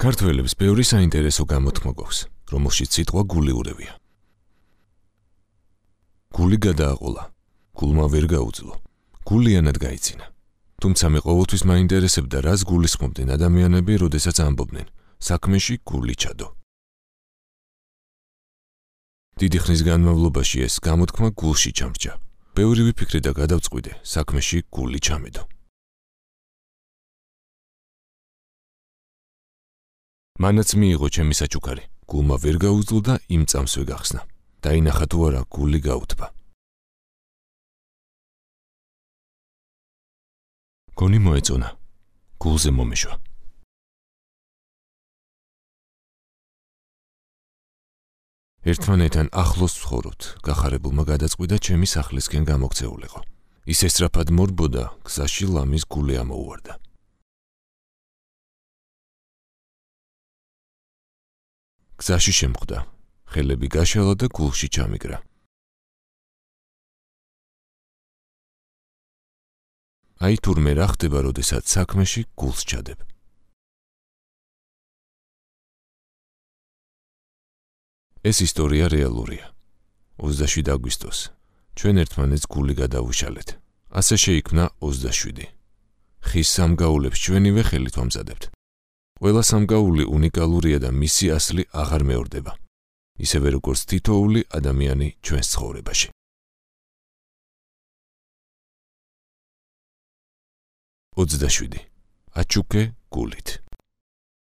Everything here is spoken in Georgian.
ქართველებს ბევრი საინტერესო გამოთქმა გვაქვს, რომელშიც სიტყვა გული ურევია. გული გადააყოლა, გულმა ვერ გაუძლო, გულიანად გაიცინა. თუმცა მე ყოველთვის მაინტერესებდა, რას გულისხმობდნენ ადამიანები, როდესაც ამბობდნენ, საქმეში გული ჩადო. დიდი ხნის განმავლობაში ეს გამოთქმა გულში ჩამრჯა. ბევრი ვიფიქრე და გადავწყვიტე, საქმეში გული ჩამედო. მანაც მიიღო ჩემი საჩუქარი, გულმა ვერ გაუძლო და იმ წამსვე გახსნა. დაინახა თუ არა გული გაუთბა. გონი მოეწონა, გულზე მომეშვა. ერთმანეთთან ახლოს ვცხოვრობთ, გახარებულმა გადაწყვიტა ჩემი სახლისკენ გამოქცეულიყო. ის ესწრაფად მორბოდა, გზაში ლამის გული ამოუვარდა. გზაში შემხვდა, ხელები გაშალა და გულში ჩამიგრა. აი თურმე რა ხდება, როდესაც საქმეში გულს ჩადებ. ეს ისტორია რეალურია. 27 აგვისტოს ჩვენ ერთმანეთს გული გადავუშალეთ. ასე შეიქმნა 27. ხის სამგაულებს ჩვენივე ხელით ვამზადებთ. ყველა სამგაული უნიკალურია და მისი ასლი აღარ მეორდება. ისევე როგორც თითოეული ადამიანი ჩვენს ცხოვრებაში. ოცდაშვიდი. აჩუქე გულით.